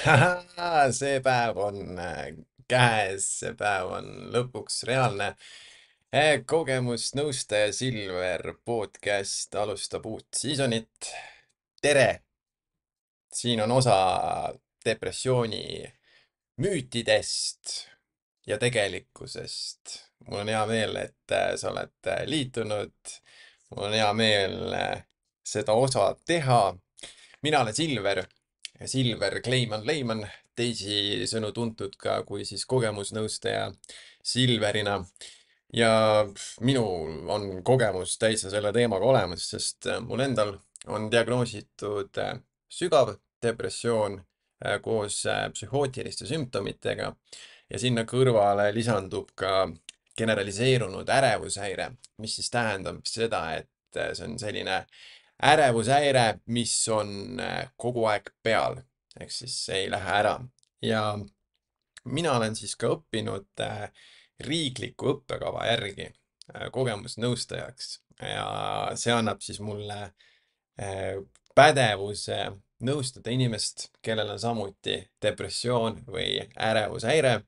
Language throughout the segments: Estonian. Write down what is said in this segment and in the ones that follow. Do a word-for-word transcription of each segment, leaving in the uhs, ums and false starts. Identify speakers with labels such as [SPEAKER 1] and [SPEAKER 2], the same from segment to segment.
[SPEAKER 1] See päev on äh, käes, see päev on lõpuks reaalne. Eh, kogemusnõustaja Silver podcast alustab uut seasonit. tere! Siin on osa depressiooni müütidest ja tegelikkusest. Mul on hea meel, et äh, sa oled äh, liitunud. Mul on hea meel äh, seda osa teha. Mina olen Silver, Silver Kleiman Leiman, teisisõnu tuntud ka kui siis kogemusnõustaja Silverina. Ja minul on kogemus täitsa selle teemaga olemas, sest äh, mul endal on diagnoositud äh, sügav depressioon äh, koos äh, psühhootiliste sümptomitega ja sinna kõrvale lisandub ka generaliseerunud ärevushäire, mis siis tähendab seda, et äh, see on selline ärevushäire, mis on äh, kogu aeg peal, ehk siis see ei lähe ära. Ja mina olen siis ka õppinud äh, riikliku õppekava järgi äh, kogemusnõustajaks ja see annab siis mulle äh, pädevuse nõustada inimest, kellel on samuti depressioon või ärevushäire.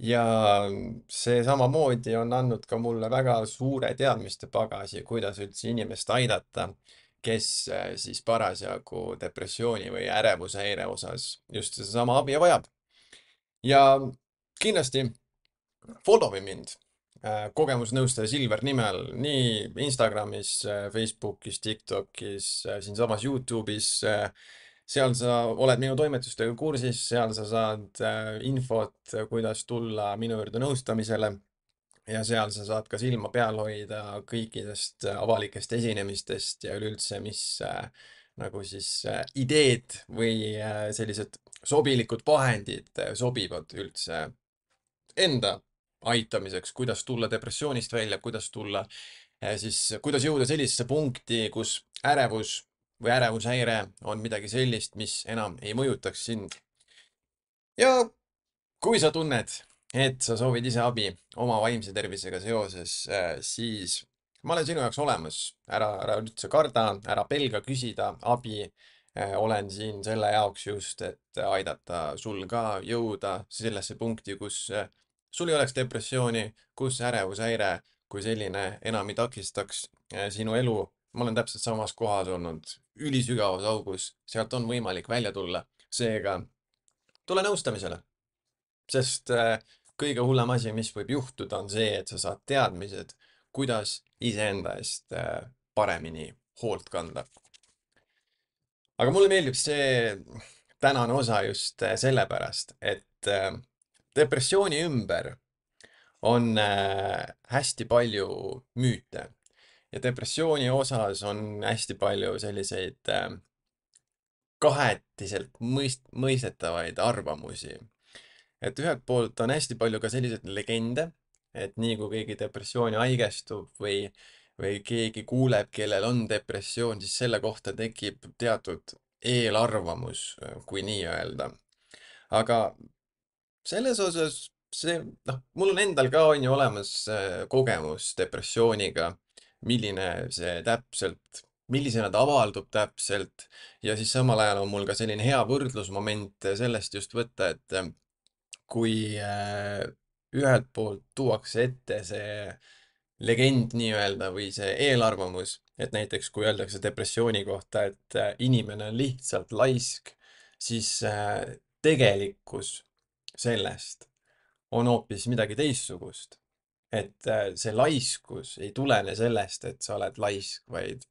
[SPEAKER 1] Ja see samamoodi on andnud ka mulle väga suure teadmiste pagasi, kuidas üldse inimest aidata, kes äh, siis parasjagu depressiooni või ärevushäire osas just sedasama abi vajab. Ja kindlasti follow ime mind äh, kogemusnõustaja Silver nimel nii Instagramis, äh, Facebookis, TikTokis, äh, siinsamas YouTube'is. äh, Seal sa oled minu toimetustega kursis, seal sa saad äh, infot, äh, kuidas tulla minu juurde nõustamisele ja seal sa saad ka silma peal hoida kõikidest äh, avalikest esinemistest ja üleüldse, mis äh, nagu siis äh, ideed või äh, sellised sobilikud vahendid äh, sobivad üldse enda aitamiseks, kuidas tulla depressioonist välja, kuidas tulla eh, siis, kuidas jõuda sellisesse punkti, kus ärevus või ärevushäire on midagi sellist, mis enam ei mõjutaks sind. Ja kui sa tunned, et sa soovid ise abi oma vaimse tervisega seoses, eh, siis ma olen sinu jaoks olemas. ära, ära üldse karda, ära pelga küsida abi. Eh, olen siin selle jaoks just, et aidata sul ka jõuda sellesse punkti, kus eh, sul ei oleks depressiooni, kus ärevushäire kui selline enam ei takistaks eh, sinu elu. Ma olen täpselt samas kohas olnud, ülisügavas augus, sealt on võimalik välja tulla. Seega tule nõustamisele, sest äh, kõige hullem asi, mis võib juhtuda, on see, et sa saad teadmised, kuidas iseenda eest äh, paremini hoolt kanda. Aga mulle meeldib see tänane osa just äh, sellepärast, et äh, depressiooni ümber on äh, hästi palju müüte ja depressiooni osas on hästi palju selliseid äh, kahetiselt mõist-, mõistetavaid arvamusi. Et ühelt poolt on hästi palju ka selliseid legende, et nii kui keegi depressiooni haigestub või, või keegi kuuleb, kellel on depressioon, siis selle kohta tekib teatud eelarvamus, kui nii öelda. Aga selles osas see, noh, mul on endal ka on ju olemas äh, kogemus depressiooniga, milline see täpselt, millisena ta avaldub täpselt ja siis samal ajal on mul ka selline hea võrdlusmoment sellest just võtta, et äh, kui äh, ühelt poolt tuuakse ette see legend nii-öelda või see eelarvamus, et näiteks kui öeldakse depressiooni kohta, et äh, inimene on lihtsalt laisk, siis äh, tegelikkus sellest on hoopis midagi teistsugust. Et äh, see laiskus ei tulene sellest, et sa oled laisk, vaid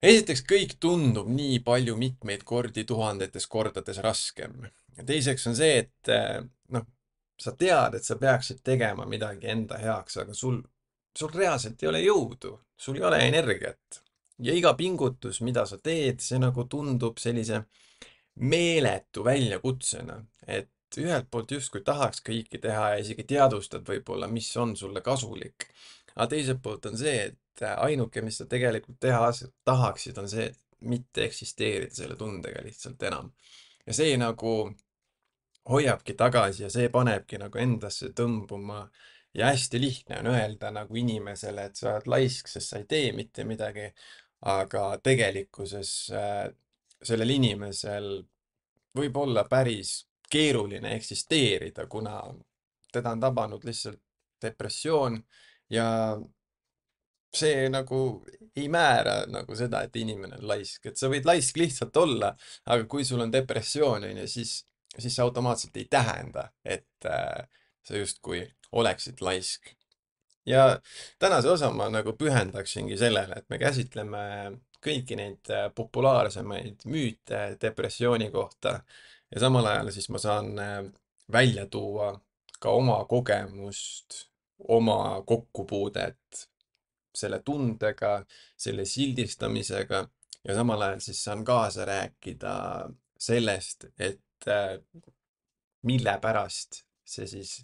[SPEAKER 1] esiteks kõik tundub nii palju mitmeid kordi, tuhandetes kordades raskem. Ja teiseks on see, et äh, noh, sa tead, et sa peaksid tegema midagi enda heaks, aga sul, sul reaalselt ei ole jõudu, sul ei ole energiat. Ja iga pingutus, mida sa teed, see nagu tundub sellise meeletu väljakutsena, et ühelt poolt justkui tahaks kõike teha ja isegi teadvustad võib-olla, mis on sulle kasulik. aga teiselt poolt on see, et ainuke, mis sa tegelikult teha tahaksid, on see, et mitte eksisteerida selle tundega lihtsalt enam. ja see nagu hoiabki tagasi ja see panebki nagu endasse tõmbuma. ja hästi lihtne on öelda nagu inimesele, et sa oled laisk, sest sa ei tee mitte midagi. aga tegelikkuses äh, sellel inimesel võib olla päris keeruline eksisteerida, kuna teda on tabanud lihtsalt depressioon ja see nagu ei määra nagu seda, et inimene on laisk, et sa võid laisk lihtsalt olla, aga kui sul on depressioon, on ju, siis, siis see automaatselt ei tähenda, et äh, sa justkui oleksid laisk. Ja tänase osa ma nagu pühendaksingi sellele, et me käsitleme kõiki neid äh, populaarsemaid müüte depressiooni kohta ja samal ajal siis ma saan äh, välja tuua ka oma kogemust, oma kokkupuudet selle tundega, selle sildistamisega ja samal ajal siis saan kaasa rääkida sellest, et äh, mille pärast see siis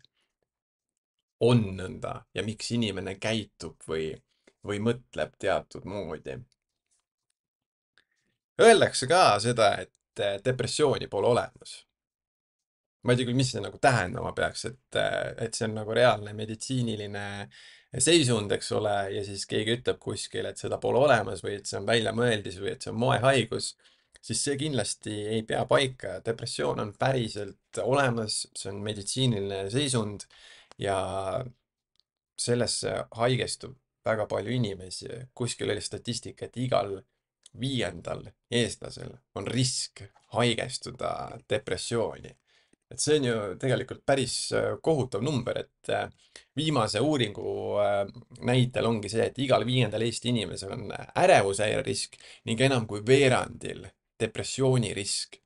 [SPEAKER 1] on nõnda ja miks inimene käitub või, või mõtleb teatud moodi. Öeldakse ka seda, et äh, depressiooni pole olemas. Ma ei tea küll, mis see nagu tähendama peaks, et, äh, et see on nagu reaalne meditsiiniline seisund, eks ole, ja siis keegi ütleb kuskil, et seda pole olemas või et see on väljamõeldis või et see on moehaigus, siis see kindlasti ei pea paika. Depressioon on päriselt olemas, see on meditsiiniline seisund ja sellesse haigestub väga palju inimesi. Kuskil oli statistika, et igal viiendal eestlasel on risk haigestuda depressiooni. Et see on ju tegelikult päris äh, kohutav number, et äh, viimase uuringu äh, näitel ongi see, et igal viiendal Eesti inimesel on ärevushäire risk ning enam kui veerandil depressiooni risk.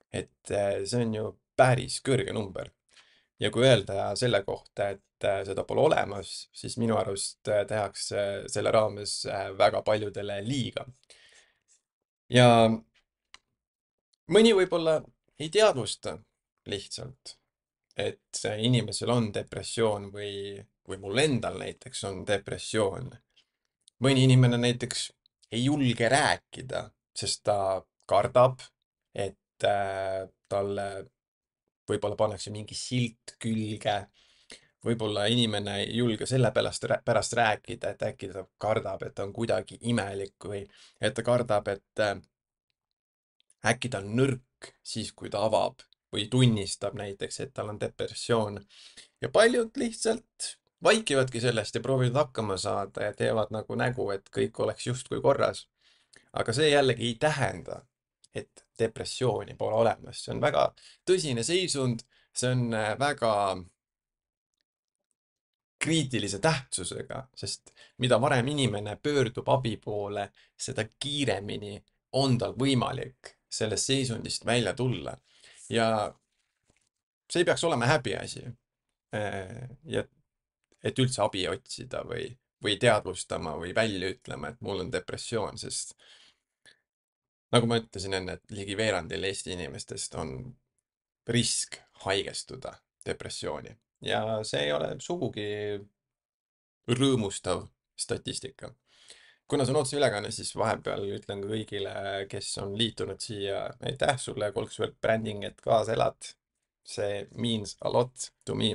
[SPEAKER 1] Et see on ju päris kõrge number. Ja kui öelda selle kohta, et seda pole olemas, siis minu arust tehakse selle raames väga paljudele liiga. Ja mõni võib-olla ei teadvusta lihtsalt, et inimesel on depressioon või, või mul endal näiteks on depressioon. Mõni inimene näiteks ei julge rääkida, sest ta kardab, et äh, talle võib-olla pannakse mingi silt külge. Võib-olla inimene ei julge selle pärast, pärast rääkida, et äkki ta kardab, et ta on kuidagi imelik või et ta kardab, et äh, äkki ta on nõrk siis, kui ta avab või tunnistab näiteks, et tal on depressioon. Ja paljud lihtsalt vaikivadki sellest ja proovivad hakkama saada ja teevad nagu nägu, et kõik oleks justkui korras. Aga see jällegi ei tähenda, et depressiooni pole olemas. See on väga tõsine seisund, see on äh, väga kriitilise tähtsusega, sest mida varem inimene pöördub abi poole, seda kiiremini on tal võimalik sellest seisundist välja tulla. Ja see ei peaks olema häbiasi. Ja et üldse abi otsida või, või teadvustama või välja ütlema, et mul on depressioon, sest nagu ma ütlesin enne, et ligi veerandil Eesti inimestest on risk haigestuda depressiooni ja see ei ole sugugi rõõmustav statistika. Kuna see on otseülekanne, siis vahepeal ütlen ka kõigile, kes on liitunud siia, aitäh sulle, Kolksvõrk Branding, et kaasa elad. See means a lot to me.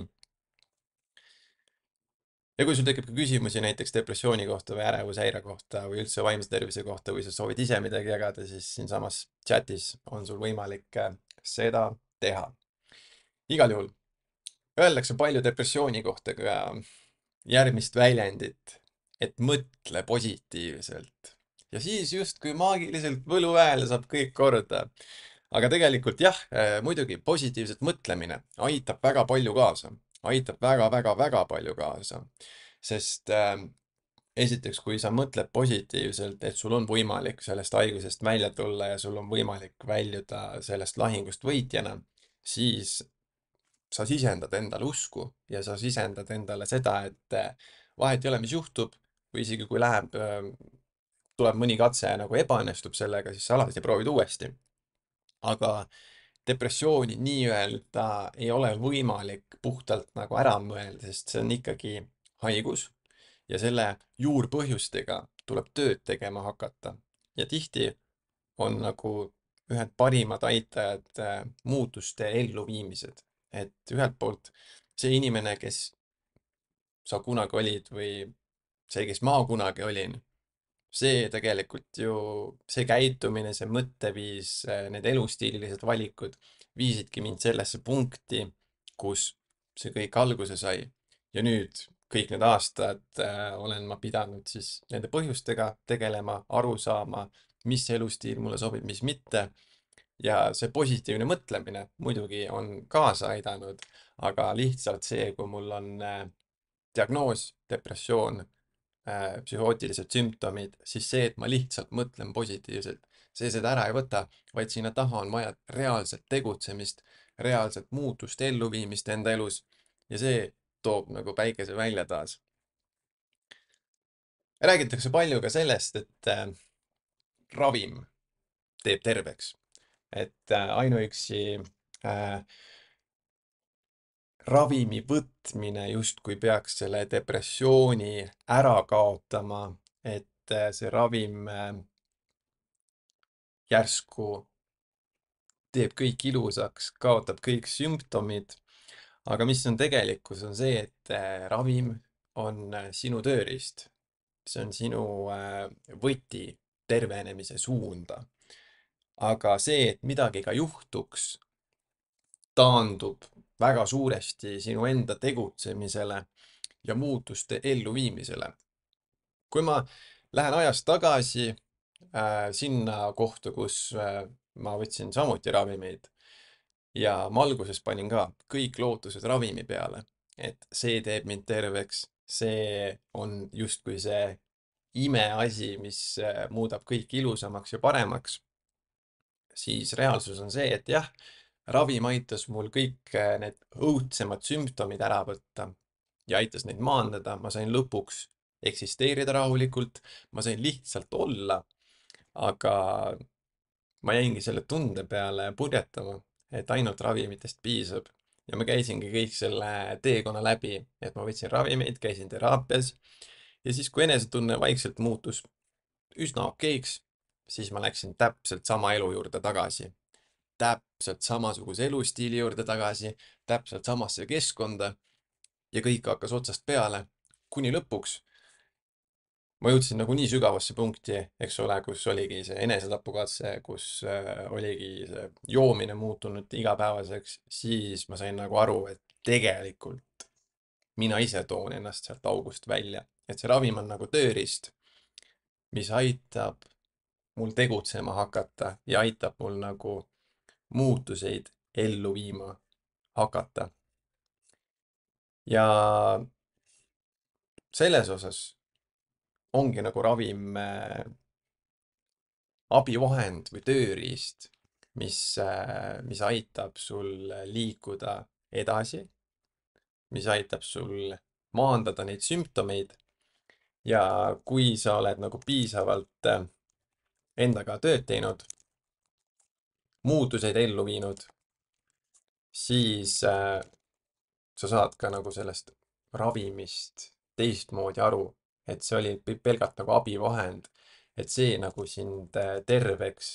[SPEAKER 1] Ja kui sul tekib ka küsimusi näiteks depressiooni kohta või ärevushäire kohta või üldse vaimse tervise kohta või sa soovid ise midagi jagada, siis siinsamas chatis on sul võimalik seda teha. Igal juhul öeldakse palju depressiooni kohta ka järgmist väljendit, et mõtle positiivselt. Ja siis justkui maagiliselt võluväel saab kõik korda. Aga tegelikult jah, muidugi positiivset mõtlemine aitab väga palju kaasa. Aitab väga-väga-väga palju kaasa. Sest äh, esiteks, kui sa mõtled positiivselt, et sul on võimalik sellest haigusest välja tulla ja sul on võimalik väljuda sellest lahingust võitjana, siis sa sisendad endale usku ja sa sisendad endale seda, et vahet ei ole, mis juhtub või isegi kui läheb, tuleb mõni katse ja nagu ebaõnnestub sellega, siis sa alati proovid uuesti. Aga depressiooni nii-öelda ei ole võimalik puhtalt nagu ära mõelda, sest see on ikkagi haigus ja selle juurpõhjustega tuleb tööd tegema hakata. Ja tihti on nagu ühed parimad aitajad muutuste elluviimised. Et ühelt poolt see inimene, kes sa kunagi olid või see, kes ma kunagi olin, see tegelikult ju, see käitumine, see mõtteviis, need elustiililised valikud viisidki mind sellesse punkti, kus see kõik alguse sai. Ja nüüd kõik need aastad äh, olen ma pidanud siis nende põhjustega tegelema, aru saama, mis elustiil mulle sobib, mis mitte. Ja see positiivne mõtlemine muidugi on kaasa aidanud, aga lihtsalt see, kui mul on äh, diagnoos, depressioon, äh, psühhootilised sümptomid, siis see, et ma lihtsalt mõtlen positiivselt, see seda ära ei võta, vaid sinna taha on vaja reaalset tegutsemist, reaalset muutust, elluviimist enda elus ja see toob nagu päikese välja taas. Räägitakse palju ka sellest, et äh, ravim teeb terveks, et äh, ainuüksi äh, ravimi võtmine justkui peaks selle depressiooni ära kaotama, et äh, see ravim äh, järsku teeb kõik ilusaks, kaotab kõik sümptomid. Aga mis on tegelikkus, on see, et äh, ravim on äh, sinu tööriist. See on sinu äh, võti tervenemise suunda. Aga see, et midagi ka juhtuks, taandub väga suuresti sinu enda tegutsemisele ja muutuste elluviimisele. Kui ma lähen ajas tagasi äh, sinna kohta, kus äh, ma võtsin samuti ravimeid ja ma alguses panin ka kõik lootused ravimi peale, et see teeb mind terveks, see on justkui see imeasi, mis äh, muudab kõik ilusamaks ja paremaks, siis reaalsus on see, et jah, ravim aitas mul kõik äh, need õudsemad sümptomid ära võtta ja aitas neid maandada, ma sain lõpuks eksisteerida rahulikult, ma sain lihtsalt olla, aga ma jäingi selle tunde peale purjetama, et ainult ravimitest piisab. Ja ma käisingi kõik selle teekonna läbi, et ma võtsin ravimeid, käisin teraapias ja siis, kui enesetunne vaikselt muutus üsna okeiks, siis ma läksin täpselt sama elu juurde tagasi. Täpselt samasuguse elustiili juurde tagasi, täpselt samasse keskkonda ja kõik hakkas otsast peale, kuni lõpuks ma jõudsin nagu nii sügavasse punkti, eks ole, kus oligi see enesetapukatse, kus äh, oligi see joomine muutunud igapäevaseks, siis ma sain nagu aru, et tegelikult mina ise toon ennast sealt august välja. Et see ravim on nagu tööriist, mis aitab mul tegutsema hakata ja aitab mul nagu muutuseid ellu viima hakata. Ja selles osas ongi nagu ravim äh, abivahend või tööriist, mis, äh, mis aitab sul liikuda edasi, mis aitab sul maandada neid sümptomeid. Ja kui sa oled nagu piisavalt äh, endaga tööd teinud, muutuseid ellu viinud, siis äh, sa saad ka nagu sellest ravimist teistmoodi aru, et see oli pelgalt nagu abivahend, et see nagu sind äh, terveks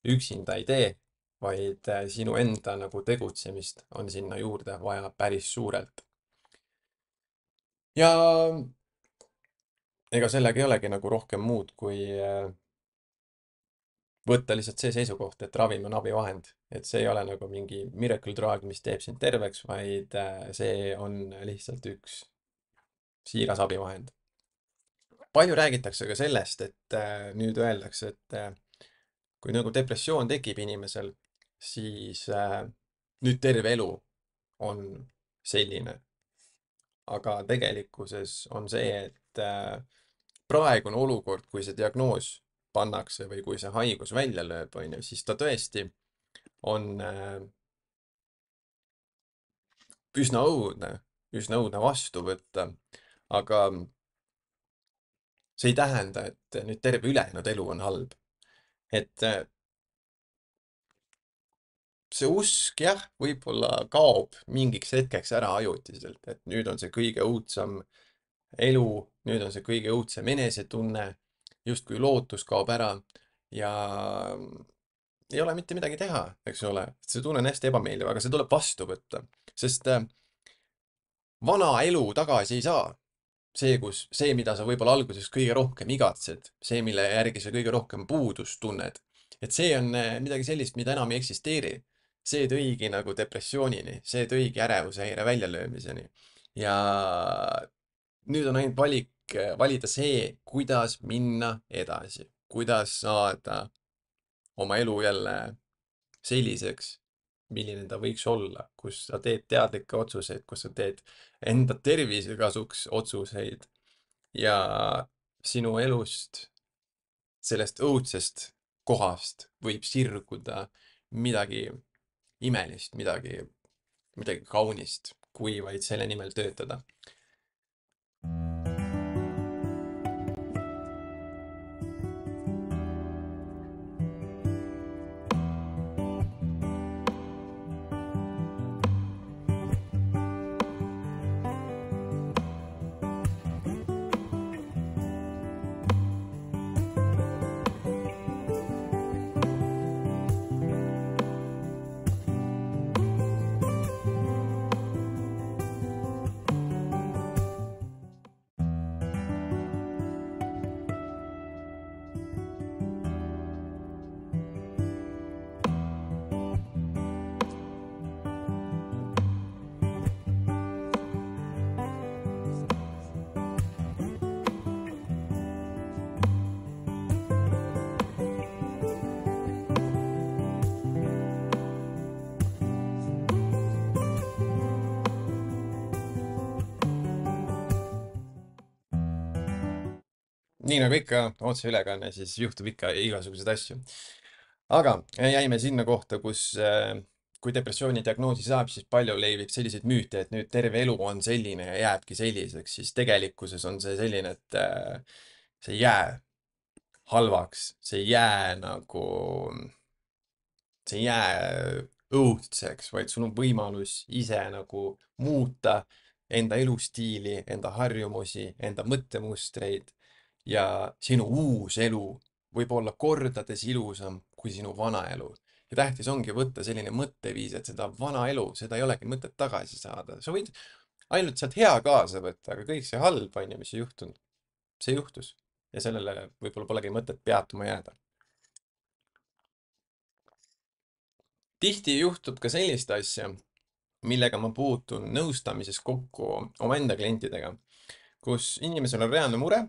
[SPEAKER 1] üksinda ei tee, vaid äh, sinu enda nagu tegutsemist on sinna juurde vaja päris suurelt. Ja ega sellega ei olegi nagu rohkem muud, kui äh, võtta lihtsalt see seisukoht, et ravim on abivahend, et see ei ole nagu mingi miracle drug, mis teeb sind terveks, vaid äh, see on lihtsalt üks siiras abivahend. Palju räägitakse ka sellest, et äh, nüüd öeldakse, et äh, kui nagu depressioon tekib inimesel, siis äh, nüüd terve elu on selline. Aga tegelikkuses on see, et äh, praegune olukord, kui see diagnoos pannakse või kui see haigus välja lööb, on ju, siis ta tõesti on äh, üsna õudne, üsna õudne vastu võtta. Aga see ei tähenda, et nüüd terve ülejäänud elu on halb. Et äh, see usk jah, võib-olla kaob mingiks hetkeks ära ajutiselt, et nüüd on see kõige õudsam elu, nüüd on see kõige õudsem enesetunne, justkui lootus kaob ära ja ei ole mitte midagi teha, eks ole. See tunne on hästi ebameeldiv, aga see tuleb vastu võtta, sest äh, vana elu tagasi ei saa. See, kus, see, mida sa võib-olla alguses kõige rohkem igatsed, see, mille järgi sa kõige rohkem puudust tunned, et see on äh, midagi sellist, mida enam ei eksisteeri. see tõigi nagu depressioonini, see tõigi ärevushäire väljalöömiseni. ja nüüd on ainult valik, valida see, kuidas minna edasi, kuidas saada oma elu jälle selliseks, milline ta võiks olla, kus sa teed teadlikke otsuseid, kus sa teed enda tervise kasuks otsuseid ja sinu elust, sellest õudsest kohast võib sirguda midagi imelist, midagi, midagi kaunist, kui vaid selle nimel töötada. Nii nagu ikka otseülekanne, siis juhtub ikka igasuguseid asju. Aga jäime sinna kohta, kus äh, kui depressiooni diagnoosi saab, siis palju levib selliseid müüte, et nüüd terve elu on selline ja jääbki selliseks, siis tegelikkuses on see selline, et äh, see ei jää halvaks, see ei jää nagu, see ei jää õudseks, vaid sul on võimalus ise nagu muuta enda elustiili, enda harjumusi, enda mõttemustreid ja sinu uus elu võib olla kordades ilusam kui sinu vana elu. Ja tähtis ongi võtta selline mõtteviis, et seda vana elu, seda ei olegi mõtet tagasi saada. Sa võid ainult sealt hea kaasa võtta, aga kõik see halb, on ju, mis ei juhtunud, see juhtus. Ja sellele võib-olla polegi mõtet peatuma jääda. Tihti juhtub ka sellist asja, millega ma puutun nõustamises kokku omaenda klientidega, kus inimesel on reaalne mure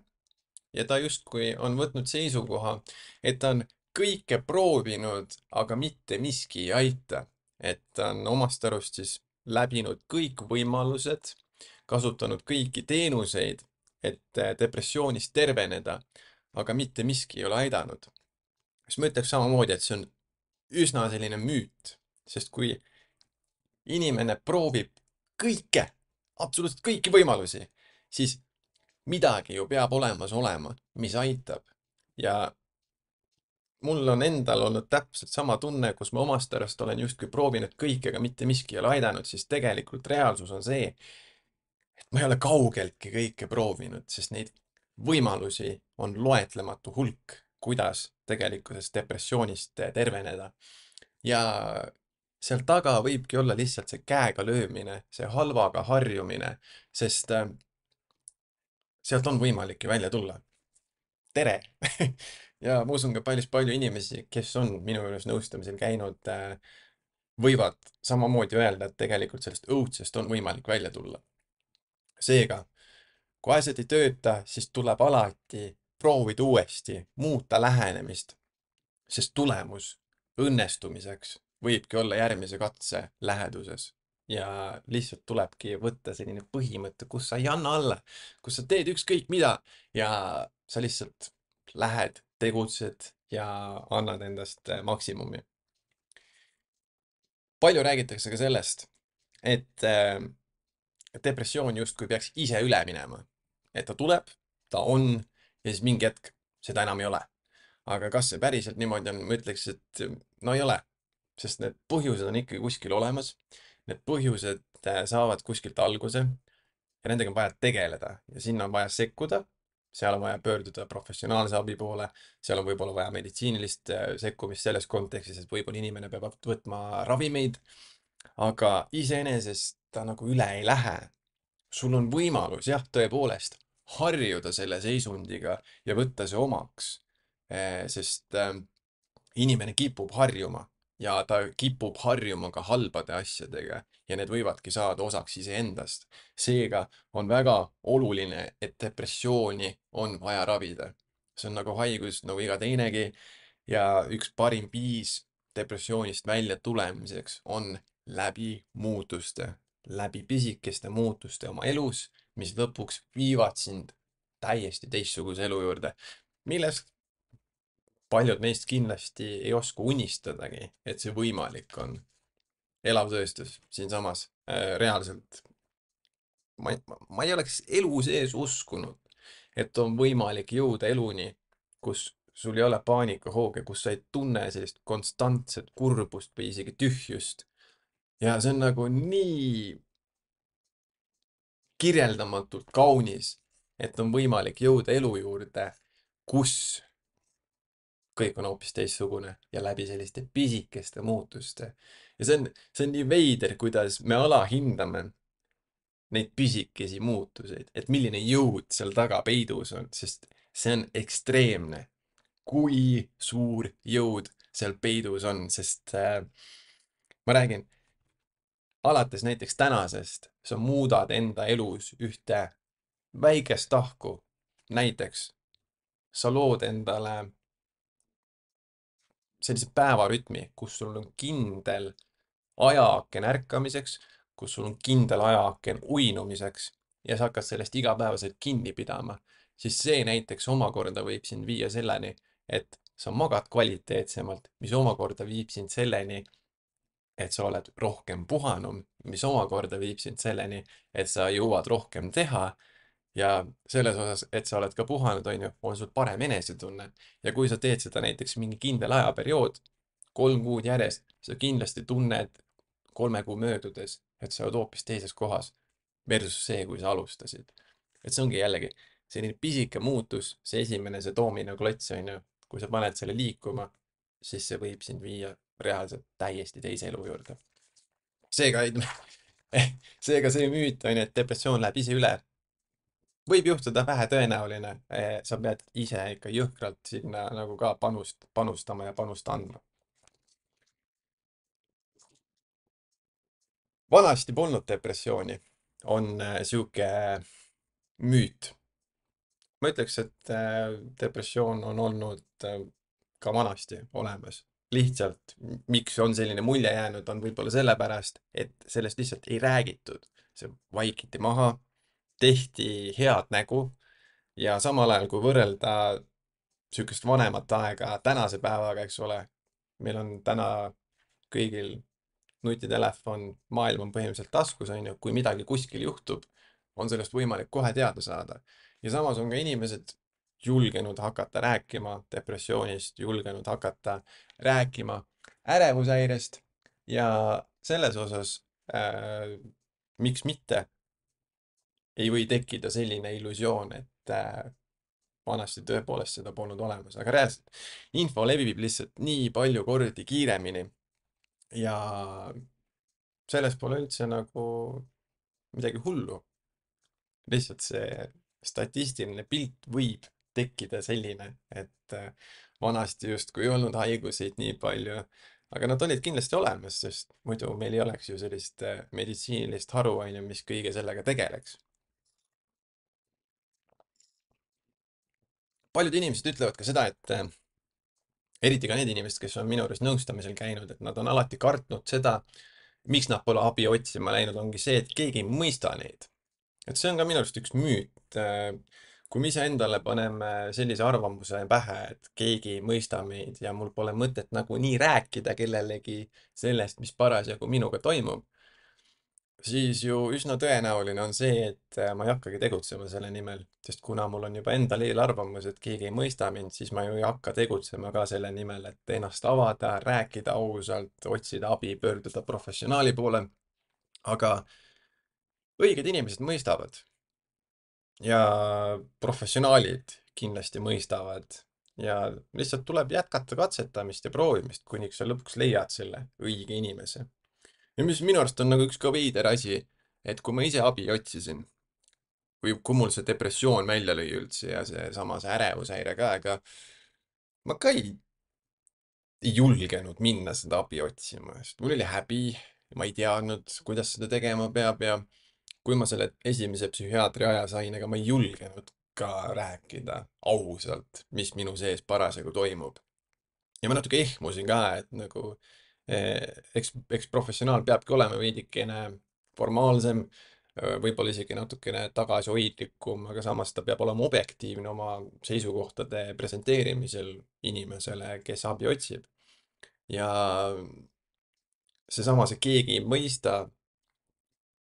[SPEAKER 1] ja ta justkui on võtnud seisukoha, et ta on kõike proovinud, aga mitte miski ei aita. Et ta on omast arust siis läbinud kõik võimalused, kasutanud kõiki teenuseid, et depressioonist terveneda, aga mitte miski ei ole aidanud. Siis ma ütleks samamoodi, et see on üsna selline müüt, sest kui inimene proovib kõike, absoluutselt kõiki võimalusi, siis midagi ju peab olemas olema, mis aitab. Ja mul on endal olnud täpselt sama tunne, kus ma omast arust olen justkui proovinud kõike, aga mitte miski ei ole aidanud, siis tegelikult reaalsus on see, et ma ei ole kaugeltki kõike proovinud, sest neid võimalusi on loetlematu hulk, kuidas tegelikkuses depressioonist terveneda. Ja seal taga võibki olla lihtsalt see käega löömine, see halvaga harjumine, sest sealt on võimalik ju välja tulla. Tere! Ja ma usun ka päris palju inimesi, kes on minu juures nõustamisel käinud, võivad samamoodi öelda, et tegelikult sellest õudsest on võimalik välja tulla. Seega, kui asjad ei tööta, siis tuleb alati proovida uuesti, muuta lähenemist, sest tulemus õnnestumiseks võibki olla järgmise katse läheduses. Ja lihtsalt tulebki võtta selline põhimõte, kus sa ei anna alla, kus sa teed ükskõik mida ja sa lihtsalt lähed, tegutsed ja annad endast maksimumi. Palju räägitakse ka sellest, et depressioon justkui peaks ise üle minema. Et ta tuleb, ta on ja siis mingi hetk seda enam ei ole. Aga kas see päriselt niimoodi on, ma ütleks, et no ei ole, sest need põhjused on ikkagi kuskil olemas. Need põhjused saavad kuskilt alguse ja nendega on vaja tegeleda ja sinna on vaja sekkuda. Seal on vaja pöörduda professionaalse abi poole, seal on võib-olla vaja meditsiinilist sekkumist selles kontekstis, et võib-olla inimene peab võtma ravimeid, aga iseenesest ta nagu üle ei lähe. Sul on võimalus, jah, tõepoolest harjuda selle seisundiga ja võtta see omaks, sest inimene kipub harjuma ja ta kipub harjuma ka halbade asjadega ja need võivadki saada osaks iseendast. Seega on väga oluline, et depressiooni on vaja ravida. See on nagu haigus nagu iga teinegi ja üks parim viis depressioonist välja tulemiseks on läbi muutuste, läbi pisikeste muutuste oma elus, mis lõpuks viivad sind täiesti teistsuguse elu juurde, millest paljud meist kindlasti ei oska unistadagi, et see võimalik on. Elav tõestus siinsamas äh, reaalselt. Ma, ei- ma ei oleks elu sees uskunud, et on võimalik jõuda eluni, kus sul ei ole paanikahooge, kus sa ei tunne sellist konstantset kurbust või isegi tühjust. Ja see on nagu nii kirjeldamatult kaunis, et on võimalik jõuda elu juurde, kus kõik on hoopis teistsugune ja läbi selliste pisikeste muutuste. Ja see on, see on nii veider, kuidas me alahindame neid pisikesi muutuseid, et milline jõud seal taga peidus on, sest see on ekstreemne, kui suur jõud seal peidus on, sest äh, ma räägin, alates näiteks tänasest sa muudad enda elus ühte väikest tahku. Näiteks sa lood endale sellise päevarütmi, kus sul on kindel ajaaken ärkamiseks, kus sul on kindel ajaaken uinumiseks ja sa hakkad sellest igapäevaselt kinni pidama, siis see näiteks omakorda võib sind viia selleni, et sa magad kvaliteetsemalt, mis omakorda viib sind selleni, et sa oled rohkem puhanum, mis omakorda viib sind selleni, et sa jõuad rohkem teha ja selles osas, et sa oled ka puhanud, on ju, on sul parem enesetunne. Ja kui sa teed seda näiteks mingi kindel ajaperiood, kolm kuud järjest, sa kindlasti tunned kolme kuu möödudes, et sa oled hoopis teises kohas versus see, kui sa alustasid. Et see ongi jällegi selline pisike muutus, see esimene, see doominoklots, on ju, kui sa paned selle liikuma, siis see võib sind viia reaalselt täiesti teise elu juurde. Seega, seega see müüt on, et depressioon läheb ise üle, võib juhtuda, vähetõenäoline. Sa pead ise ikka jõhkralt sinna nagu ka panust, panustama ja panust andma. Vanasti polnud depressiooni, on äh, sihuke müüt. Ma ütleks, et äh, depressioon on olnud äh, ka vanasti olemas. Lihtsalt, m- miks on selline mulje jäänud, on võib-olla sellepärast, et sellest lihtsalt ei räägitud. See vaikiti maha, tehti head nägu ja samal ajal, kui võrrelda sihukest vanemat aega tänase päevaga, eks ole, meil on täna kõigil nutitelefon, maailm on põhimõtteliselt taskus, on ju, kui midagi kuskil juhtub, on sellest võimalik kohe teada saada. Ja samas on ka inimesed julgenud hakata rääkima depressioonist, julgenud hakata rääkima ärevushäirest ja selles osas äh, miks mitte ei või tekkida selline illusioon, et äh, vanasti tõepoolest seda polnud olemas, aga reaalselt info levib lihtsalt nii palju kordi kiiremini ja selles pole üldse nagu midagi hullu. Lihtsalt see statistiline pilt võib tekkida selline, et äh, vanasti justkui ei olnud haiguseid nii palju, aga nad olid kindlasti olemas, sest muidu meil ei oleks ju sellist äh, meditsiinilist haru, on ju, mis kõige sellega tegeleks. Paljud inimesed ütlevad ka seda, et äh, eriti ka need inimesed, kes on minu juures nõustamisel käinud, et nad on alati kartnud seda, miks nad pole abi otsima läinud, ongi see, et keegi ei mõista neid. Et see on ka minu arust üks müüt. Kui me iseendale paneme sellise arvamuse pähe, et keegi ei mõista meid ja mul pole mõtet nagunii rääkida kellelegi sellest, mis parasjagu minuga toimub, siis ju üsna tõenäoline on see, et äh, ma ei hakkagi tegutsema selle nimel, sest kuna mul on juba endal eelarvamus, et keegi ei mõista mind, siis ma ju ei hakka tegutsema ka selle nimel, et ennast avada, rääkida ausalt, otsida abi, pöörduda professionaali poole. aga õiged inimesed mõistavad ja professionaalid kindlasti mõistavad ja lihtsalt tuleb jätkata katsetamist ja proovimist, kuniks sa lõpuks leiad selle õige inimese. Ja mis minu arust on nagu üks ka veider asi, et kui ma ise abi otsisin või kui mul see depressioon välja lõi üldse ja seesama see ärevushäire ka, ega ma ka ei ei julgenud minna seda abi otsima, sest mul oli häbi, ma ei teadnud, kuidas seda tegema peab ja kui ma selle esimese psühhiaatri aja sain, ega ma ei julgenud ka rääkida ausalt, mis minu sees parasjagu toimub. Ja ma natuke ehmusin ka, et nagu eh, eks, eks professionaal peabki olema veidikene formaalsem, eh, võib-olla isegi natukene tagasihoidlikum, aga samas ta peab olema objektiivne oma seisukohtade presenteerimisel inimesele, kes abi otsib. ja seesama, see keegi ei mõista,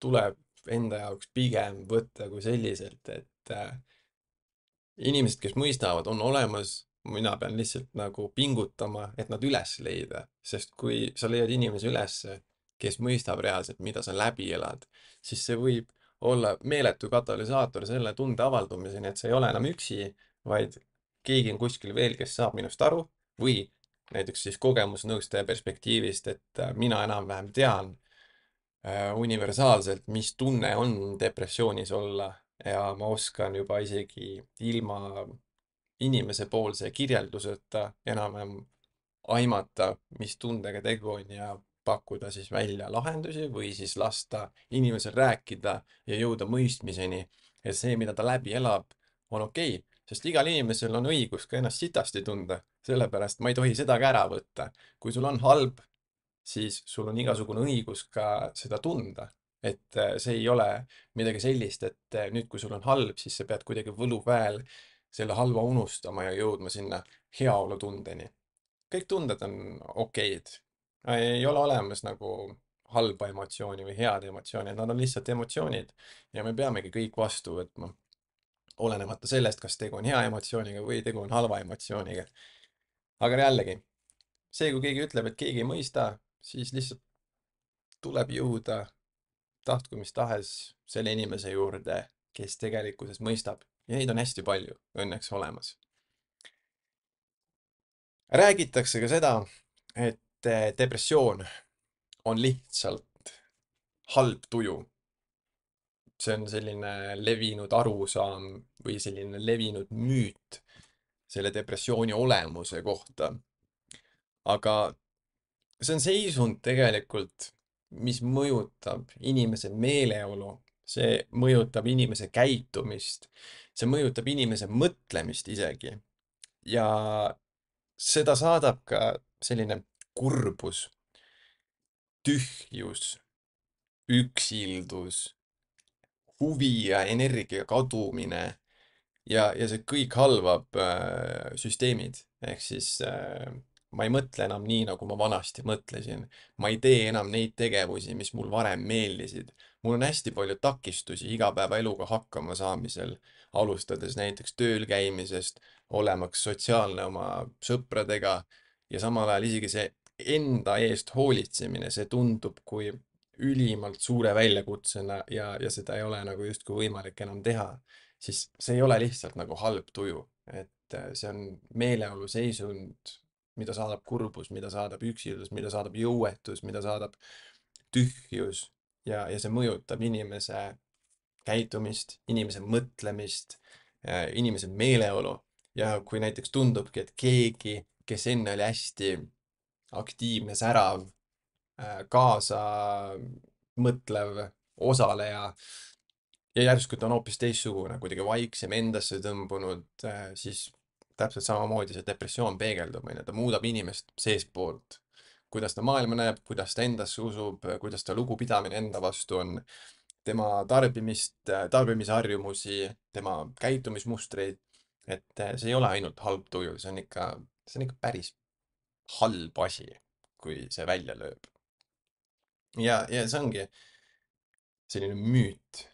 [SPEAKER 1] tuleb enda jaoks pigem võtta kui selliselt, et äh, inimesed, kes mõistavad, on olemas, mina pean lihtsalt nagu pingutama, et nad üles leida, sest kui sa leiad inimese ülesse, kes mõistab reaalselt, mida sa läbi elad, siis see võib olla meeletu katalüsaator selle tunde avaldumiseni, et sa ei ole enam üksi, vaid keegi on kuskil veel, kes saab minust aru või näiteks siis kogemusnõustaja perspektiivist, et äh, mina enam-vähem tean äh, universaalselt, mis tunne on depressioonis olla ja ma oskan juba isegi ilma inimesepoolse kirjelduseta enam-vähem aimata, mis tundega tegu on ja pakkuda siis välja lahendusi või siis lasta inimesel rääkida ja jõuda mõistmiseni, et see, mida ta läbi elab, on okei okay,, sest igal inimesel on õigus ka ennast sitasti tunda, sellepärast ma ei tohi seda ka ära võtta. kui sul on halb, siis sul on igasugune õigus ka seda tunda. et äh, see ei ole midagi sellist, et äh, nüüd, kui sul on halb, siis sa pead kuidagi võluväel selle halva unustama ja jõudma sinna heaolutundeni. kõik tunded on okeid. ei ole olemas nagu halba emotsiooni või head emotsiooni, nad on lihtsalt emotsioonid ja me peamegi kõik vastu võtma, olenemata sellest, kas tegu on hea emotsiooniga või tegu on halva emotsiooniga. aga jällegi, see, kui keegi ütleb, et keegi ei mõista, siis lihtsalt tuleb jõuda, tahtku mis tahes, selle inimese juurde, kes tegelikkuses mõistab. ja neid on hästi palju õnneks olemas. räägitakse ka seda, et eh, depressioon on lihtsalt halb tuju. see on selline levinud arusaam või selline levinud müüt selle depressiooni olemuse kohta. aga see on seisund tegelikult, mis mõjutab inimese meeleolu, see mõjutab inimese käitumist, see mõjutab inimese mõtlemist isegi. ja seda saadab ka selline kurbus, tühjus, üksildus, huvi ja energia kadumine ja, ja see kõik halvab äh, süsteemid. ehk siis äh, ma ei mõtle enam nii, nagu ma vanasti mõtlesin. ma ei tee enam neid tegevusi, mis mul varem meeldisid. mul on hästi palju takistusi igapäevaeluga hakkama saamisel, alustades näiteks tööl käimisest, olemaks sotsiaalne oma sõpradega ja samal ajal isegi see enda eest hoolitsemine, see tundub kui ülimalt suure väljakutsena ja, ja seda ei ole nagu justkui võimalik enam teha, siis see ei ole lihtsalt nagu halb tuju, et äh, see on meeleolu seisund, mida saadab kurbus, mida saadab üksildus, mida saadab jõuetus, mida saadab tühjus ja, ja see mõjutab inimese käitumist, inimese mõtlemist, inimese meeleolu. ja kui näiteks tundubki, et keegi, kes enne oli hästi aktiivne, särav, äh, kaasa mõtlev osaleja ja järsku ta on hoopis teistsugune, kuidagi vaiksem, endasse tõmbunud, äh, siis täpselt samamoodi see depressioon peegeldub, onju, ta muudab inimest seestpoolt. kuidas ta maailma näeb, kuidas ta endasse usub, kuidas ta lugupidamine enda vastu on, tema tarbimist, tarbimisharjumusi, tema käitumismustreid. et äh, see ei ole ainult halb tuju, see on ikka, see on ikka päris halb asi, kui see välja lööb. ja, ja see ongi selline müüt,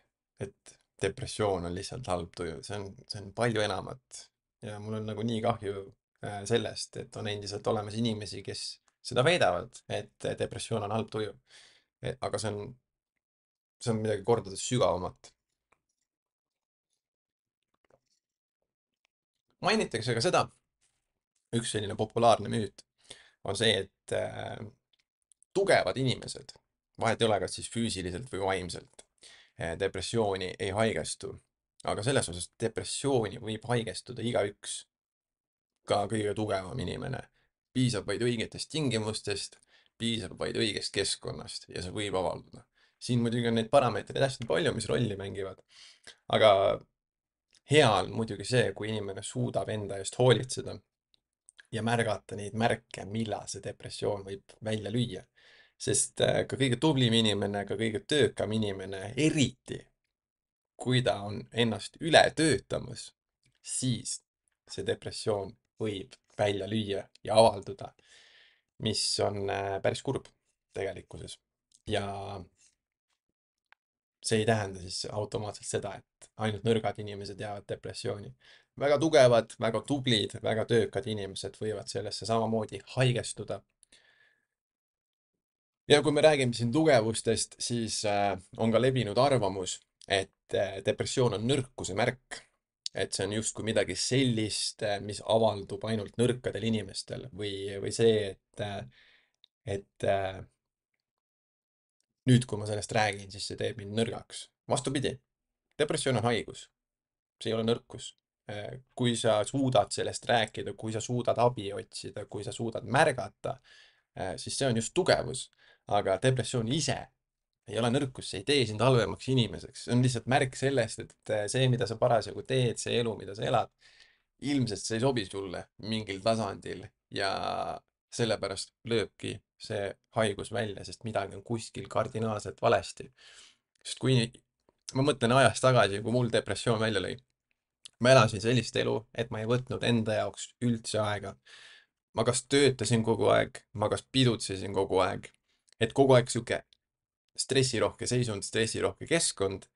[SPEAKER 1] et depressioon on lihtsalt halb tuju, see on, see on palju enamat. ja mul on nagu nii kahju äh, sellest, et on endiselt olemas inimesi, kes seda väidavad, et depressioon on halb tuju. aga see on, see on midagi kordades sügavamat. mainitakse ka seda, üks selline populaarne müüt on see, et äh, tugevad inimesed, vahet ei ole, kas siis füüsiliselt või vaimselt, eh, depressiooni ei haigestu. aga selles osas depressiooni võib haigestuda igaüks, ka kõige tugevam inimene. piisab vaid õigetest tingimustest, piisab vaid õigest keskkonnast ja see võib avalduda. siin muidugi on neid parameetreid hästi palju, mis rolli mängivad, aga hea on muidugi see, kui inimene suudab enda eest hoolitseda ja märgata neid märke, millal see depressioon võib välja lüüa. Sest äh, ka kõige tublim inimene, ka kõige töökam inimene, eriti kui ta on ennast üle töötamas, siis see depressioon võib välja lüüa ja avalduda, mis on äh, päris kurb tegelikkuses. ja see ei tähenda siis automaatselt seda, et ainult nõrgad inimesed jäävad depressiooni. väga tugevad, väga tublid, väga töökad inimesed võivad sellesse samamoodi haigestuda. ja kui me räägime siin tugevustest, siis äh, on ka levinud arvamus, et äh, depressioon on nõrkuse märk. et see on justkui midagi sellist, äh, mis avaldub ainult nõrkadel inimestel või, või see, et, äh, et äh, nüüd, kui ma sellest räägin, siis see teeb mind nõrgaks. vastupidi, depressioon on haigus, see ei ole nõrkus. Äh, kui sa suudad sellest rääkida, kui sa suudad abi otsida, kui sa suudad märgata, äh, siis see on just tugevus. aga depressioon ise ei ole nõrkus, see ei tee sind halvemaks inimeseks, see on lihtsalt märk sellest, et äh, see, mida sa parasjagu teed, see elu, mida sa elad, ilmselt see ei sobi sulle mingil tasandil ja sellepärast lööbki see haigus välja, sest midagi on kuskil kardinaalselt valesti. sest kui ma mõtlen ajas tagasi, kui mul depressioon välja lõi, ma elasin sellist elu, et ma ei võtnud enda jaoks üldse aega. ma kas töötasin kogu aeg, ma kas pidutsesin kogu aeg, et kogu aeg sihuke stressirohke seisund, stressirohke keskkond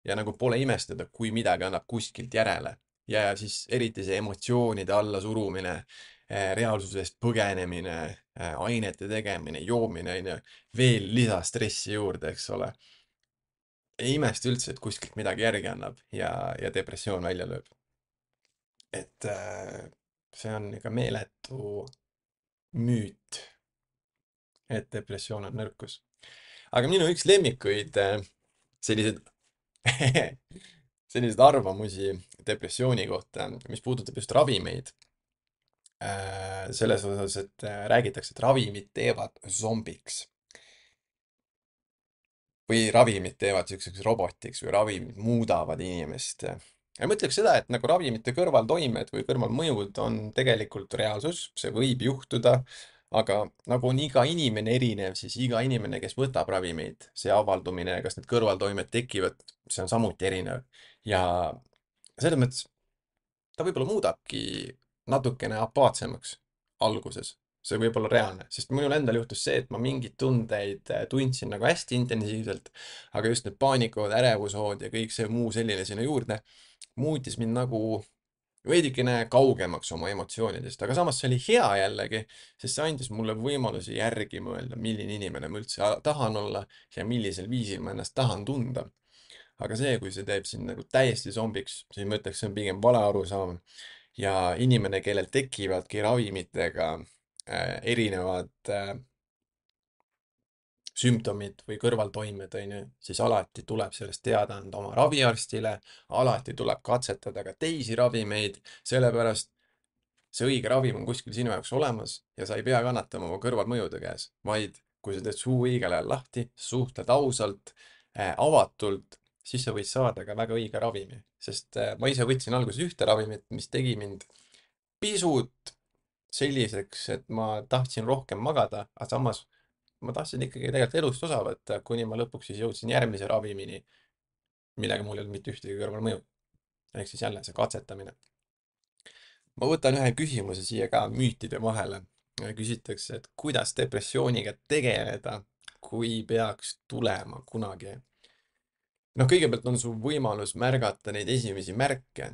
[SPEAKER 1] ja nagu pole imestada, kui midagi annab kuskilt järele. ja siis eriti see emotsioonide allasurumine, reaalsusest põgenemine, ainete tegemine, joomine, onju, veel lisastressi juurde, eks ole. ei imesta üldse, et kuskilt midagi järgi annab ja, ja depressioon välja lööb. et äh, see on ikka meeletu müüt, et depressioon on nõrkus. aga minu üks lemmikuid äh, selliseid selliseid arvamusi depressiooni kohta, mis puudutab just ravimeid. Äh, selles osas, et äh, räägitakse, et ravimid teevad zombiks või ravimid teevad siukseks robotiks või ravimid muudavad inimest. ja ma ütleks seda, et nagu ravimite kõrvaltoimed või kõrvalmõjud on tegelikult reaalsus, see võib juhtuda, aga nagu on iga inimene erinev, siis iga inimene, kes võtab ravimeid, see avaldumine, kas need kõrvaltoimed tekivad, see on samuti erinev. ja selles mõttes ta võib-olla muudabki natukene apaatsemaks alguses. see võib olla reaalne, sest minul endal juhtus see, et ma mingeid tundeid äh, tundsin nagu hästi intensiivselt, aga just need paanikahood, ärevushood ja kõik see muu selline sinna juurde muutis mind nagu veidikene kaugemaks oma emotsioonidest, aga samas see oli hea jällegi, sest see andis mulle võimaluse järgi mõelda, milline inimene ma üldse a- tahan olla ja millisel viisil ma ennast tahan tunda. aga see, kui see teeb sind nagu täiesti zombiks, siis ma ütleks, see on pigem vale arusaam. ja inimene, kellel tekivadki ravimitega äh, erinevad äh, sümptomid või kõrvaltoimed, on ju, siis alati tuleb sellest teada anda oma raviarstile, alati tuleb katsetada ka teisi ravimeid, sellepärast see õige ravim on kuskil sinu jaoks olemas ja sa ei pea kannatama oma kõrvalmõjude käes, vaid kui sa teed suu õigel ajal lahti, suhtled ausalt äh,, avatult, siis sa võid saada ka väga õige ravimi, sest äh, ma ise võtsin alguses ühte ravimit, mis tegi mind pisut selliseks, et ma tahtsin rohkem magada, aga samas ma tahtsin ikkagi tegelikult elust osa võtta, kuni ma lõpuks siis jõudsin järgmise ravimini, millega mul ei olnud mitte ühtegi kõrvalmõju. ehk siis jälle see katsetamine. ma võtan ühe küsimuse siia ka müütide vahele. küsitakse, et kuidas depressiooniga tegeleda, kui peaks tulema kunagi. noh, kõigepealt on sul võimalus märgata neid esimesi märke.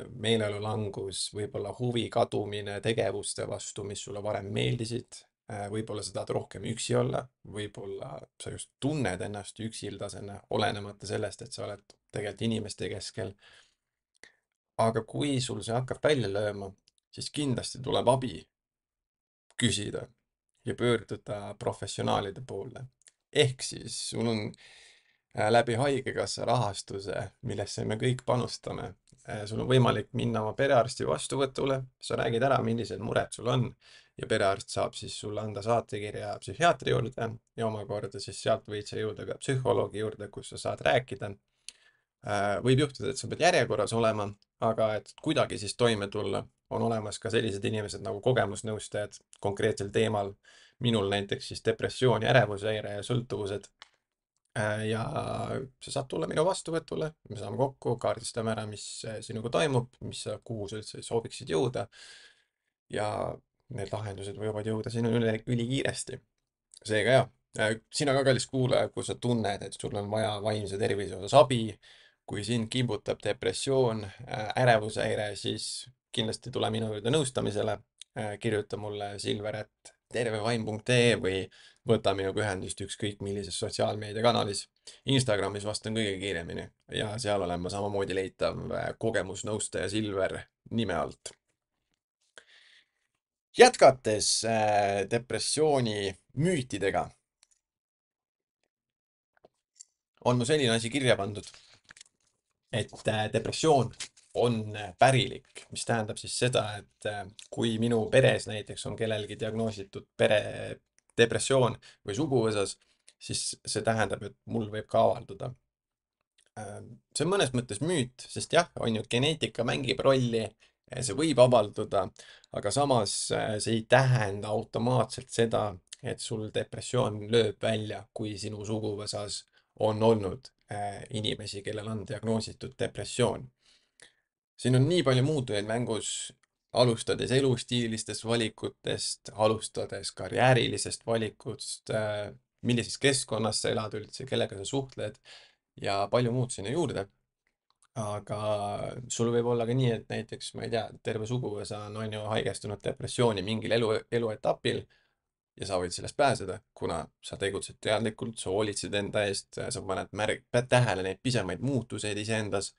[SPEAKER 1] meeleolulangus, võib-olla huvi kadumine tegevuste vastu, mis sulle varem meeldisid. võib-olla sa tahad rohkem üksi olla, võib-olla sa just tunned ennast üksildasena, olenemata sellest, et sa oled tegelikult inimeste keskel. aga kui sul see hakkab välja lööma, siis kindlasti tuleb abi küsida ja pöörduda professionaalide poole. ehk siis sul on äh, läbi haigekassa rahastuse, millesse me kõik panustame. Äh, sul on võimalik minna oma perearsti vastuvõtule, sa räägid ära, millised mured sul on ja perearst saab siis sulle anda saatekirja psühhiaatri juurde ja omakorda siis sealt võid sa jõuda ka psühholoogi juurde, kus sa saad rääkida. Äh, võib juhtuda, et sa pead järjekorras olema, aga et kuidagi siis toime tulla, on olemas ka sellised inimesed nagu kogemusnõustajad konkreetsel teemal. Minul näiteks siis depressioon ja ärevushäire ja sõltuvused. Äh, ja sa saad tulla minu vastuvõtule, me saame kokku, kaardistame ära, mis äh, sinuga toimub, mis sa, kuhu sa üldse sooviksid jõuda. Ja need lahendused võivad jõuda sinuni üli, ülikiiresti. Seega jah, äh, sina ka kallis kuulaja, kui sa tunned, et sul on vaja vaimse tervise osas abi, kui sind kimbutab depressioon, äh, ärevushäire, siis kindlasti tule minu juurde nõustamisele. Äh, kirjuta mulle silver at tervevaim punkt ee või võta minuga ühendust ükskõik millises sotsiaalmeediakanalis. Instagramis vastan kõige kiiremini ja seal olen ma samamoodi leitav äh, kogemusnõustaja Silver nime alt. Jätkates äh, depressiooni müütidega, on mu selline asi kirja pandud, et äh, depressioon on äh, pärilik, mis tähendab siis seda, et äh, kui minu peres näiteks on kellelgi diagnoositud pere depressioon või suguvõsas, siis see tähendab, et mul võib ka avalduda. Äh, see on mõnes mõttes müüt, sest jah, on ju, geneetika mängib rolli, see võib avalduda, aga samas äh, see ei tähenda automaatselt seda, et sul depressioon lööb välja, kui sinu suguvõsas on olnud äh, inimesi, kellel on diagnoositud depressioon. Siin on nii palju muutujaid mängus, alustades elustiilistest valikutest, alustades karjäärilisest valikust, äh, millises keskkonnas sa elad üldse, kellega sa suhtled ja palju muud sinna juurde. Aga sul võib olla ka nii, et näiteks, ma ei tea, terve suguvõsa on, on ju haigestunud depressiooni mingil elu, eluetapil ja sa võid sellest pääseda, kuna sa tegutsed teadlikult, sa hoolitsed enda eest, sa paned märg, pead tähele neid pisemaid muutuseid iseendas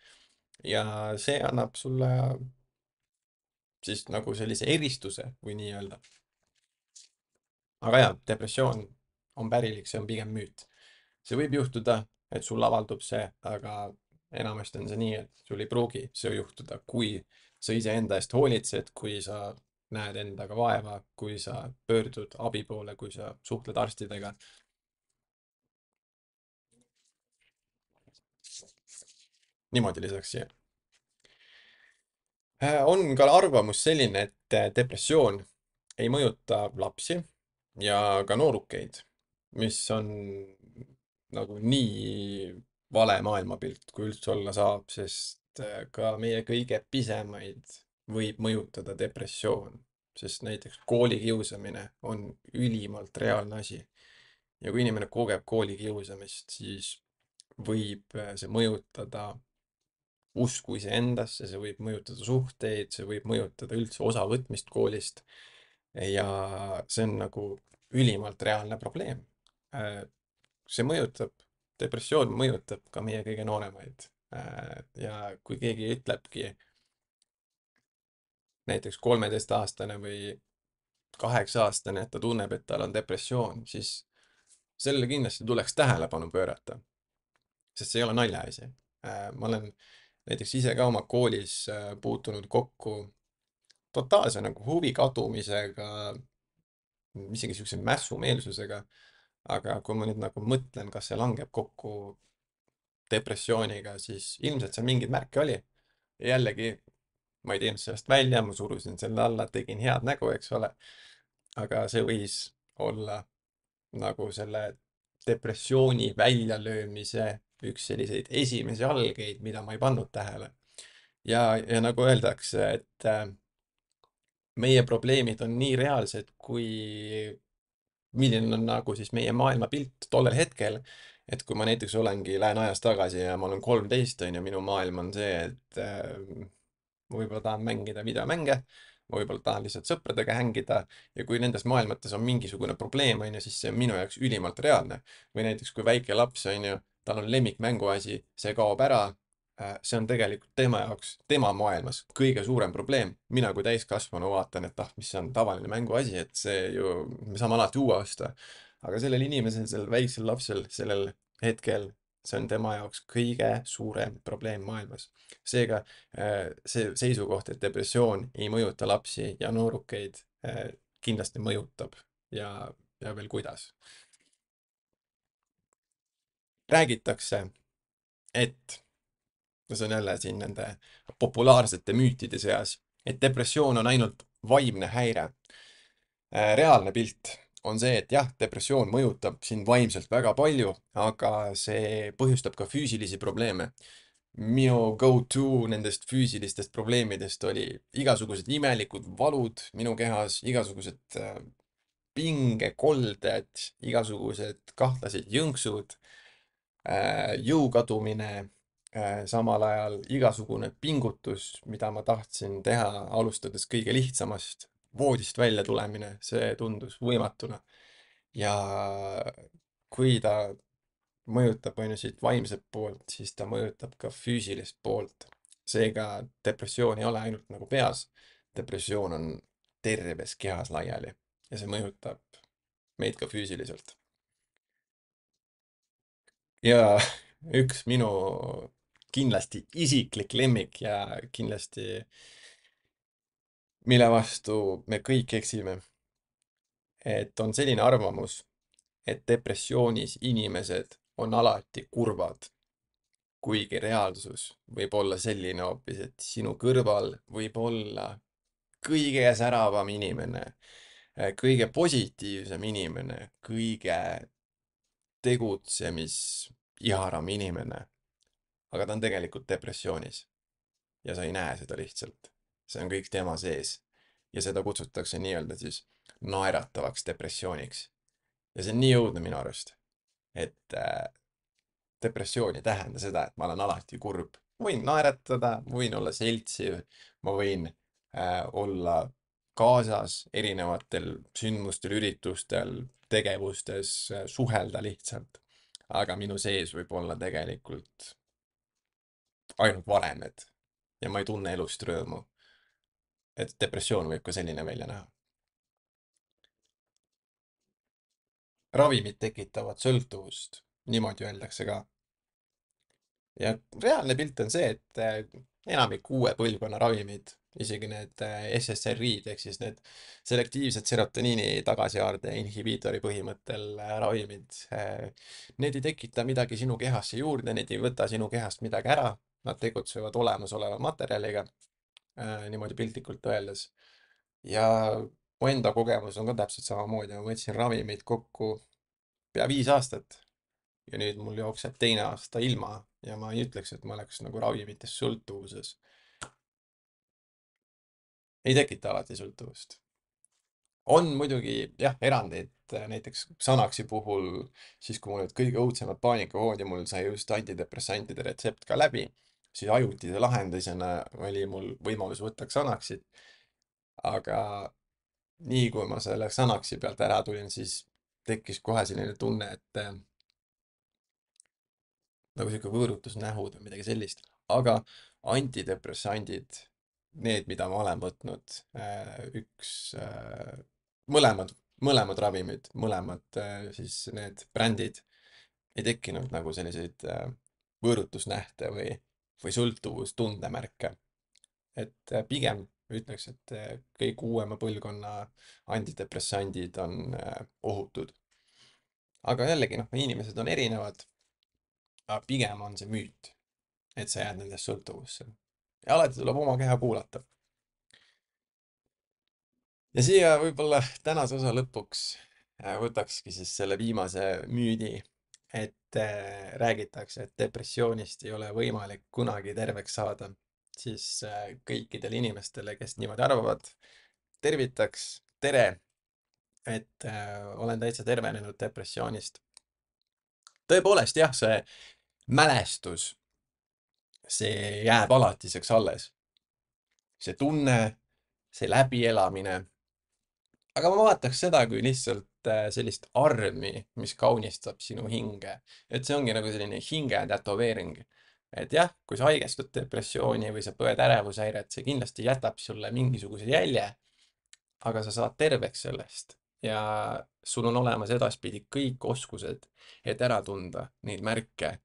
[SPEAKER 1] ja see annab sulle siis nagu sellise eristuse või nii-öelda. Aga jaa, depressioon on pärilik, see on pigem müüt. See võib juhtuda, et sul avaldub see, aga enamasti on see nii, et sul ei pruugi see juhtuda, kui sa iseenda eest hoolitsed, kui sa näed endaga vaeva, kui sa pöördud abi poole, kui sa suhtled arstidega. Niimoodi lisaks siia. Äh, on ka arvamus selline, et äh, depressioon ei mõjuta lapsi ja ka noorukeid, mis on nagu nii vale maailmapilt, kui üldse olla saab, sest äh, ka meie kõige pisemaid võib mõjutada depressioon, sest näiteks koolikiusamine on ülimalt reaalne asi. Ja kui inimene kogeb koolikiusamist, siis võib äh, see mõjutada usku iseendasse, see võib mõjutada suhteid, see võib mõjutada üldse osavõtmist koolist. Ja see on nagu ülimalt reaalne probleem. Äh, See mõjutab, depressioon mõjutab ka meie kõige nooremaid. Äh, Ja kui keegi ütlebki näiteks kolmeteistaastane või kaheksa-aastane, et ta tunneb, et tal on depressioon, siis sellele kindlasti tuleks tähelepanu pöörata, sest see ei ole naljaasi. Äh, Ma olen näiteks ise ka oma koolis äh, puutunud kokku totaalse nagu huvi kadumisega, isegi niisuguse mässumeelsusega, aga kui ma nüüd nagu mõtlen, kas see langeb kokku depressiooniga, siis ilmselt seal mingeid märke oli. Ja jällegi, ma ei teinud sellest välja, ma surusin selle alla, tegin head nägu, eks ole. Aga see võis olla nagu selle depressiooni väljalöömise üks selliseid esimesi algeid, mida ma ei pannud tähele. Ja, ja nagu öeldakse, et äh, meie probleemid on nii reaalsed, kui milline on nagu siis meie maailmapilt tollel hetkel. Et kui ma näiteks olengi, lähen ajas tagasi ja ma olen kolmteist, on ju, minu maailm on see, et äh, ma võib-olla tahan mängida videomänge, ma võib-olla tahan lihtsalt sõpradega hängida ja kui nendes maailmates on mingisugune probleem, on ju, siis see on minu jaoks ülimalt reaalne. Või näiteks kui väike laps, on ju, tal on lemmikmänguasi, see kaob ära, äh, see on tegelikult tema jaoks, tema maailmas kõige suurem probleem. Mina kui täiskasvanu vaatan, et ah, mis see on tavaline mänguasi, et see ju, me saame alati uue osta. Aga sellel inimesel, sellel väiksel lapsel, sellel hetkel see on tema jaoks kõige suurem probleem maailmas. seega äh, see seisukoht, et depressioon ei mõjuta lapsi ja noorukeid, äh, kindlasti mõjutab ja, ja veel kuidas. Räägitakse, et, no see on jälle siin nende populaarsete müütide seas, et depressioon on ainult vaimne häire. Äh, reaalne pilt on see, et jah, depressioon mõjutab sind vaimselt väga palju, aga see põhjustab ka füüsilisi probleeme. Minu go-to nendest füüsilistest probleemidest oli igasugused imelikud valud minu kehas, igasugused äh, pingekolded, igasugused kahtlased jõnksud, äh, jõu kadumine, äh, samal ajal igasugune pingutus, mida ma tahtsin teha, alustades kõige lihtsamast, voodist välja tulemine, see tundus võimatuna. ja kui ta mõjutab on ju siit vaimset poolt, siis ta mõjutab ka füüsilist poolt. seega depressioon ei ole ainult nagu peas, depressioon on terves kehas laiali ja see mõjutab meid ka füüsiliselt. ja üks minu kindlasti isiklik lemmik ja kindlasti mille vastu me kõik eksime, et on selline arvamus, et depressioonis inimesed on alati kurvad, kuigi reaalsus võib olla selline hoopis, et sinu kõrval võib olla kõige säravam inimene, kõige positiivsem inimene, kõige tegutsemisiharam inimene, aga ta on tegelikult depressioonis ja sa ei näe seda lihtsalt. see on kõik tema sees ja seda kutsutakse nii-öelda siis naeratavaks depressiooniks. ja see on nii õudne minu arust, et äh, depressioon ei tähenda seda, et ma olen alati kurb. Ma võin naeratada, ma võin olla seltsiv, ma võin äh, olla kaasas erinevatel sündmustel, üritustel, tegevustes, äh, suhelda lihtsalt. aga minu sees võib olla tegelikult ainult varemed ja ma ei tunne elust rõõmu. et depressioon võib ka selline välja näha. ravimid tekitavad sõltuvust, niimoodi öeldakse ka. ja reaalne pilt on see, et äh, enamik uue põlvkonna ravimid, isegi need äh, S S R I-d ehk siis need selektiivsed serotoniini tagasihaarde inhibiitori põhimõttel äh, ravimid, need ei tekita midagi sinu kehasse juurde, need ei võta sinu kehast midagi ära, nad tegutsevad olemasoleva materjaliga, niimoodi piltlikult öeldes. ja mu enda kogemus on ka täpselt samamoodi, ma võtsin ravimeid kokku pea viis aastat ja nüüd mul jookseb teine aasta ilma ja ma ei ütleks, et ma oleks nagu ravimitest sõltuvuses. ei tekita alati sõltuvust. on muidugi jah, erandeid, näiteks Xanaxi puhul, siis kui mul olid kõige õudsemad paanikahood ja mul sai just antidepressantide retsept ka läbi, siis ajutise lahendusena oli mul võimalus võtta Xanaxit. aga nii kui ma selle Xanaxi pealt ära tulin, siis tekkis kohe selline tunne, et äh, nagu sihuke võõrutusnähud või midagi sellist, aga antidepressandid, need, mida ma olen võtnud, äh, üks, äh, mõlemad, mõlemad ravimid, mõlemad äh, siis need brändid ei tekkinud nagu selliseid äh, võõrutusnähte või, või sõltuvustundemärke. et äh, pigem ütleks, et äh, kõik uuema põlvkonna antidepressandid on äh, ohutud. aga jällegi, noh, inimesed on erinevad, aga pigem on see müüt, et sa jääd nendest sõltuvusse. ja alati tuleb oma keha kuulata. ja siia võib-olla tänase osa lõpuks äh, võtakski siis selle viimase müüdi, et äh, räägitakse, et depressioonist ei ole võimalik kunagi terveks saada, siis äh, kõikidele inimestele, kes niimoodi arvavad, tervitaks, tere, et äh, olen täitsa tervenenud depressioonist. tõepoolest jah, see mälestus, see jääb alatiseks alles. see tunne, see läbielamine. aga ma vaataks seda kui lihtsalt äh, sellist armi, mis kaunistab sinu hinge. et see ongi nagu selline hinge tätoveering. et jah, kui sa haigestud depressiooni või sa põed ärevushäiret, see kindlasti jätab sulle mingisuguse jälje, aga sa saad terveks sellest ja sul on olemas edaspidi kõik oskused, et ära tunda neid märke,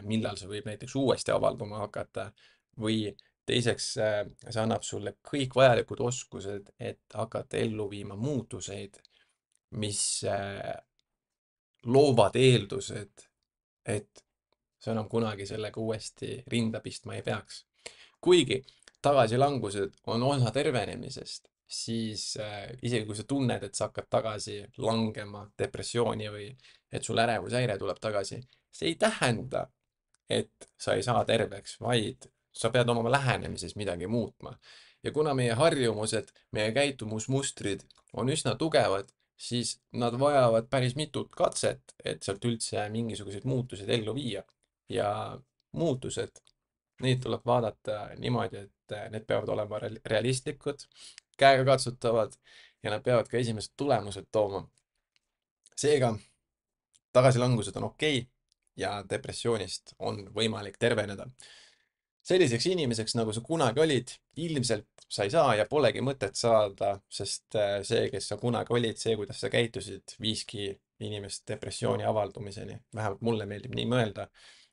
[SPEAKER 1] millal see võib näiteks uuesti avalduma hakata, või teiseks, see annab sulle kõik vajalikud oskused, et hakata ellu viima muutuseid, mis loovad eeldused, et sa enam kunagi sellega uuesti rinda pistma ei peaks. Kuigi tagasilangused on osa tervenemisest, siis äh, isegi kui sa tunned, et sa hakkad tagasi langema depressiooni või et sul ärevushäire tuleb tagasi, see ei tähenda, et sa ei saa terveks, vaid sa pead oma lähenemises midagi muutma. Ja kuna meie harjumused, meie käitumusmustrid on üsna tugevad, siis nad vajavad päris mitut katset, et sealt üldse mingisuguseid muutuseid ellu viia. Ja muutused, neid tuleb vaadata niimoodi, et need peavad olema realistlikud, käegakatsutavad ja nad peavad ka esimesed tulemused tooma. Seega, tagasilangused on okei ja depressioonist on võimalik terveneda. Selliseks inimeseks, nagu sa kunagi olid, ilmselt sa ei saa ja polegi mõtet saada, sest see, kes sa kunagi olid, see, kuidas sa käitusid, viiski inimest depressiooni avaldumiseni. Vähemalt mulle meeldib nii mõelda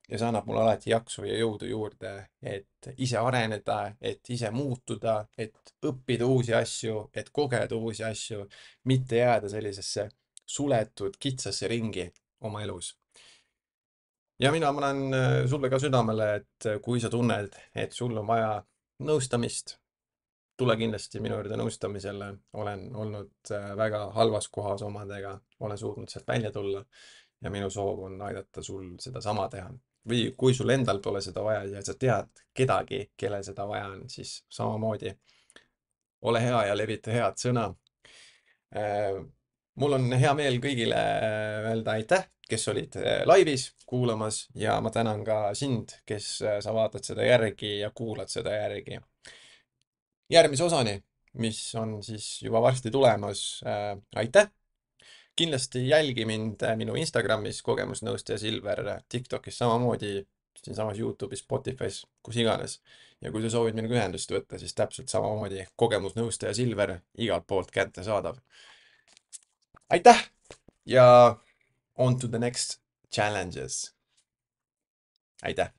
[SPEAKER 1] ja see annab mulle alati jaksu ja jõudu juurde, et ise areneda, et ise muutuda, et õppida uusi asju, et kogeda uusi asju, mitte jääda sellisesse suletud kitsasse ringi oma elus. Ja mina panen sulle ka südamele, et kui sa tunned, et sul on vaja nõustamist, tule kindlasti minu juurde nõustamisele. Olen olnud väga halvas kohas omadega, olen suutnud sealt välja tulla ja minu soov on aidata sul seda sama teha. Või kui sul endal pole seda vaja ja sa tead kedagi, kellel seda vaja on, siis samamoodi ole hea ja levita head sõna. Mul on hea meel kõigile öelda aitäh, kes olid laivis kuulamas ja ma tänan ka sind, kes sa vaatad seda järgi ja kuulad seda järgi. Järgmise osani, mis on siis juba varsti tulemas. Aitäh! Kindlasti jälgi mind minu Instagramis kogemusnõustaja Silver, TikTokis samamoodi, siinsamas YouTube'is, Spotify's, kus iganes. Ja kui sa soovid minuga ühendust võtta, siis täpselt samamoodi kogemusnõustaja Silver igalt poolt kätte saadav. Aitäh! Ja on to the next challenges. Aitäh!